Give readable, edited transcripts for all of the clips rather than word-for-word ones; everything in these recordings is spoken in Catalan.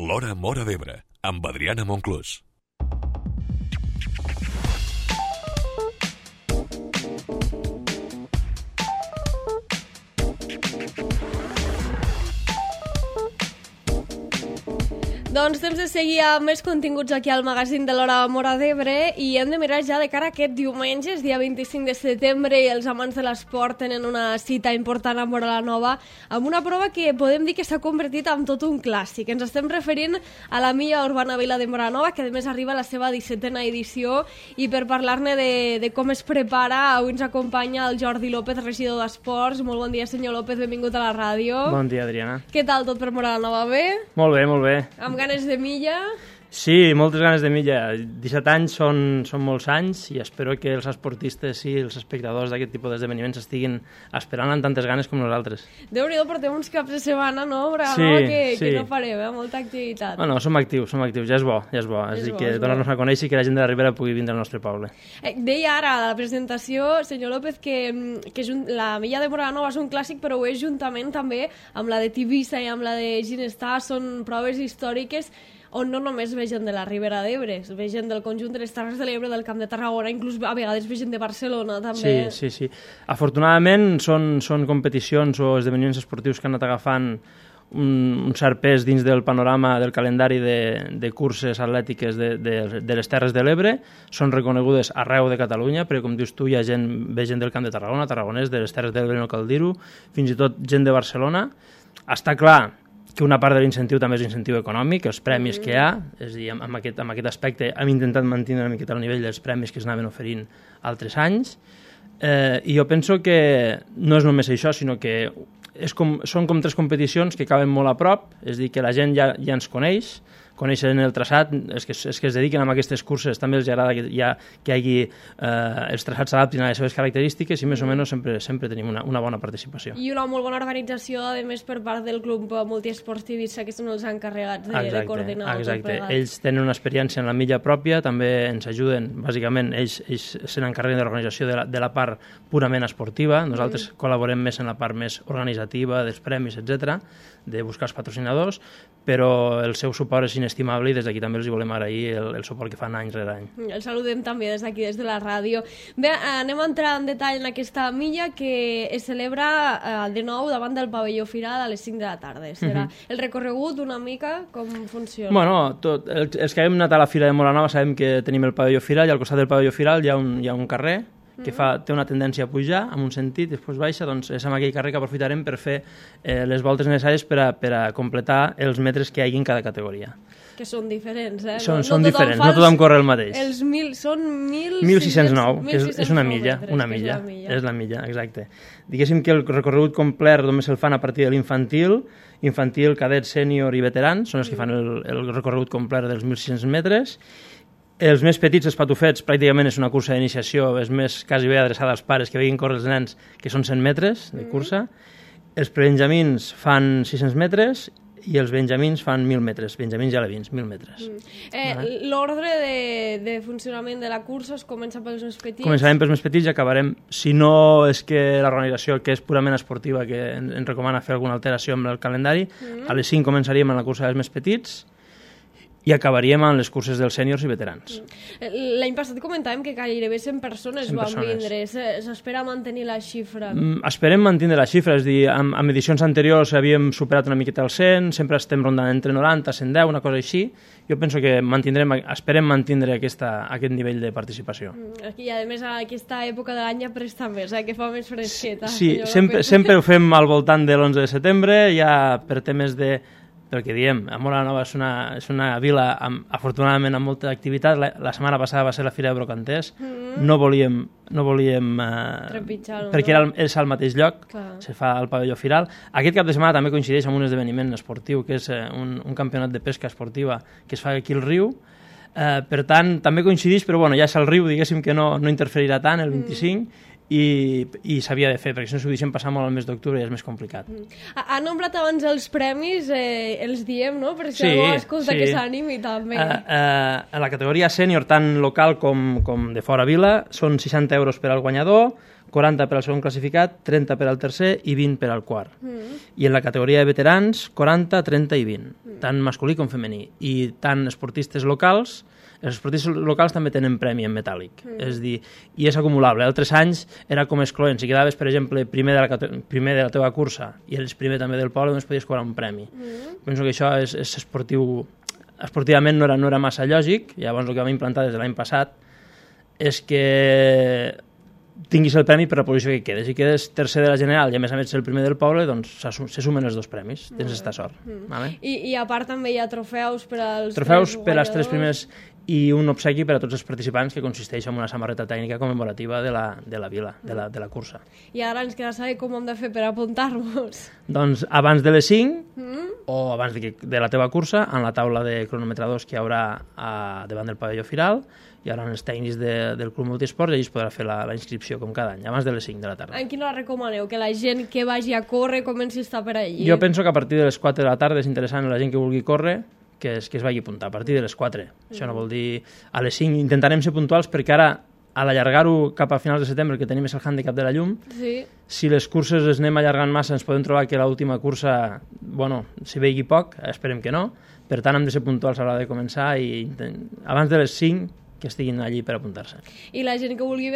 L'Hora Móra d'Ebre, amb Adriana Monclús. Doncs temps de seguir amb més continguts aquí al magazín de l'Hora Móra d'Ebre i hem de mirar ja de cara a aquest diumenge, dia 25 de setembre, i els amants de l'esport tenen una cita important a Móra la Nova amb una prova que podem dir que s'ha convertit en tot un clàssic. Ens estem referint a la Milla Urbana Vila de Móra la Nova, que a més arriba a la seva 17a edició, i per parlar-ne de com es prepara, avui ens acompanya el Jordi López, regidor d'Esports. Molt bon dia, senyor López, benvingut a la ràdio. Bon dia, Adriana. Què tal tot per Móra la Nova? Bé? Molt bé, molt bé. Amb ganes de milla? Sí, moltes ganes de milla. 17 anys són molts anys i espero que els esportistes i els espectadors d'aquest tipus d'esdeveniments estiguin esperant amb tantes ganes com nosaltres. Déu-n'hi-do, portem uns caps de setmana, no? Sí, que no farem, molta activitat. Bueno, som actius, ja és bo. És a dir, que donar-nos a conèixer i que la gent de la Ribera pugui vindre al nostre poble. Deia ara a la presentació, senyor López, que la Milla de Móra la Nova és un clàssic, però ho és juntament també amb la de Tivissa i amb la de Ginestar. Són proves històriques on no només ve gent de la Ribera d'Ebre, ve gent del conjunt de les Terres de l'Ebre, del Camp de Tarragona, inclús a vegades ve gent de Barcelona, també. Sí. Afortunadament són competicions o esdeveniments esportius que han anat agafant un cert pes dins del panorama del calendari de curses atlètiques de les Terres de l'Ebre. Són reconegudes arreu de Catalunya, perquè com dius tu ve gent del Camp de Tarragona, tarragonès, de les Terres de l'Ebre no cal dir-ho, fins i tot gent de Barcelona. Està clar que una part de l'incentiu també és l'incentiu econòmic, els premis que hi ha, és a dir, amb aquest aspecte hem intentat mantenir una miqueta el nivell dels premis que s'anaven oferint altres anys, i jo penso que no és només això, sinó que són com tres competicions que acaben molt a prop, és a dir, que la gent ja ens coneixen el traçat, els que es dediquen a aquestes curses també els agrada que hi hagi els traçats s'adaptin a les seves característiques i més o menys sempre tenim una bona participació. I una molt bona organització, a més, per part del Club Multiesport Tivissa, que són els encarregats de coordinar. Exacte, ells tenen una experiència en la milla pròpia, també ens ajuden, bàsicament, ells se n'encarreguen de l'organització de la part purament esportiva, nosaltres col·laborem més en la part més organitzativa, dels premis, etc., de buscar els patrocinadors, però el seu suport és inestimable i des d'aquí també els volem agrair el suport que fan any rere any. El saludem també des d'aquí, des de la ràdio. Bé, anem a entrar en detall en aquesta milla que es celebra de nou davant del pavelló Firal a les 5 de la tarda. Serà el recorregut una mica, com funciona? Bueno, els que hem anat a la Fira de Móra la Nova sabem que tenim el pavelló Firal i al costat del pavelló Firal hi ha un carrer que té una tendència a pujar en un sentit i després baixa, doncs és amb aquell carrer que aprofitarem per fer les voltes necessàries per a completar els metres que hi hagi en cada categoria. Que són diferents, eh? Són diferents, no tothom corre el mateix. Són 1.609, que és una milla, és la milla, exacte. Diguéssim que el recorregut complet només el fan a partir de l'infantil, cadet, sènior i veterans, són els que fan el recorregut complet dels 1.600 metres. Els més petits, els patufets, pràcticament és una cursa d'iniciació, és més quasi bé adreçada als pares que veguin córrer els nens, que són 100 metres de cursa. Els prebenjamins fan 600 metres i els benjamins fan 1.000 metres, benjamins ja alevins, 1.000 metres. L'ordre de funcionament de la cursa es comença pels més petits? Començarem pels més petits i acabarem, si no és que l'organització, que és purament esportiva, que ens recomana fer alguna alteració amb el calendari, a les 5 començaríem amb la cursa dels més petits i acabaríem amb les curses dels sèniors i veterans. L'any passat comentàvem que gairebé 100 persones van vindre. S'espera mantenir la xifra? Esperem mantenir la xifra, és a dir, amb edicions anteriors havíem superat una miqueta el 100, sempre estem rondant entre 90 i 110, una cosa així. Jo penso que esperem mantindre aquest nivell de participació. I a més aquesta època de l'any ja presta més, que fa més fresqueta. Sí, sempre ho fem al voltant de l'11 de setembre, ja per temes pel que diem, Móra la Nova és una vila afortunadament amb molta activitat. La setmana passada va ser la Fira de Brocanters, no volíem trepitjar, perquè és al mateix lloc, se fa al pavelló Firal. Aquest cap de setmana també coincideix amb un esdeveniment esportiu, que és un campionat de pesca esportiva que es fa aquí al riu. Per tant, també coincideix, però ja és el riu, diguéssim que no interferirà tant el 25, i s'havia de fer, perquè si no s'ho deixen passar molt al mes d'octubre i és més complicat. Ha nombrat abans els premis, els diem, no? Per si algú escolta que s'animi també. A la categoria sènior, tant local com de fora vila, són 60 euros per al guanyador, 40 per al segon classificat, 30 per al tercer i 20 per al quart. I en la categoria de veterans, 40, 30 i 20, tant masculí com femení. I tant esportistes locals, els esportistes locals també tenen premi en metàl·lic, és dir, i és acumulable. Altres anys era com excloent, si quedaves, per exemple, primer de la teva cursa i eres primer també del poble, doncs podies cobrar un premi. Penso que això és esportiu, esportivament no era massa lògic, llavors el que vam implantar des de l'any passat és que tinguis el premi per la posició que quedes. Si quedes tercer de la general i a més el primer del poble, doncs se sumen els dos premis. Tens aquesta sort. Vale? I a part també hi ha trofeus per als trofeus per als tres primers i un obsequi per a tots els participants que consisteix en una samarreta tècnica commemorativa de la vila, de la cursa. I ara ens queda saber com hem de fer per apuntar-nos. Doncs abans de les 5 o abans de la teva cursa, en la taula de cronometradors que hi haurà davant del pavelló firal, hi haurà els tècnics del Club Multiesport i allà es podrà fer la inscripció com cada any, abans de les 5 de la tarda. En quina hora recomaneu? Que la gent que vagi a córrer comenci a estar per allí? Jo penso que a partir de les 4 de la tarda és interessant la gent que vulgui córrer que es vagi a apuntar, a partir de les 4. Això no vol dir a les 5. Intentarem ser puntuals perquè ara, a l'allargar-ho cap a finals de setembre, que tenim és el hàndicap de la llum, si les curses les anem allargant massa ens podem trobar que l'última cursa, s'hi vegi poc, esperem que no, per tant hem de ser puntuals a l'hora de començar i abans de les 5 que estiguin allí per apuntar-se. I la gent que vulgui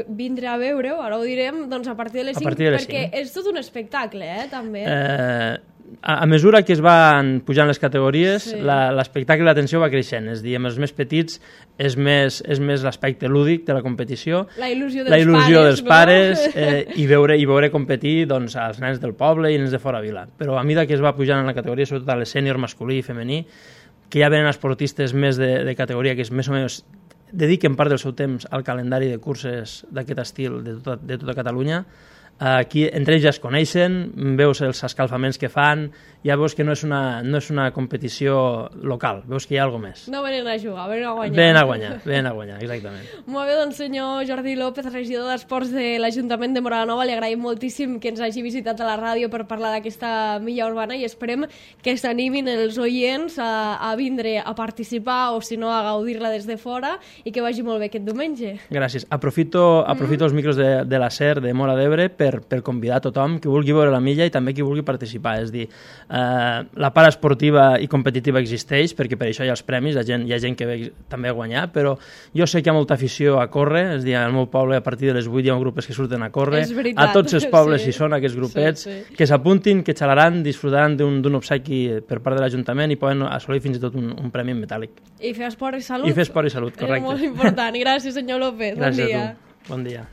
vindre a veure-ho, ara ho direm, doncs a partir de les 5, perquè és tot un espectacle, també. A mesura que es van pujant les categories, l'espectacle i l'atenció va creixent. És a dir, amb els més petits és més l'aspecte lúdic de la competició, la il·lusió dels pares i veure competir doncs, als nens del poble i nens de fora vila. Però a mesura que es va pujant en la categoria, sobretot a les sènior, masculí i femení, que ja venen esportistes més de categoria que més o menys dediquen part del seu temps al calendari de curses d'aquest estil de tota Catalunya. Aquí entre ells ja es coneixen, veus els escalfaments que fan, ja veus que no és una competició local, veus que hi ha alguna més. No venen a jugar, venen a guanyar. Venen a guanyar, exactament. Molt bé, doncs senyor Jordi López, regidor d'Esports de l'Ajuntament de Móra la Nova, li agraïm moltíssim que ens hagi visitat a la ràdio per parlar d'aquesta milla urbana i esperem que s'animin els oients a vindre a participar o si no a gaudir-la des de fora i que vagi molt bé aquest diumenge. Gràcies. Aprofito els micros de la SER de Móra d'Ebre per convidar a tothom que vulgui veure la milla i també qui vulgui participar. És dir, la part esportiva i competitiva existeix perquè per això hi ha els premis, hi ha gent que ve també a guanyar, però jo sé que hi ha molta afició a córrer, és dir, al meu poble a partir de les 8 hi ha grupos que surten a córrer, a tots els pobles hi són aquests grupets, que s'apuntin, que xalaran, disfrutaran d'un obsequi per part de l'Ajuntament i poden assolir fins i tot un premi en metàl·lic. I fer esport i salut. I fer esport i salut, correcte. És molt important. Gràcies, senyor López. Gràcies a tu. Bon dia.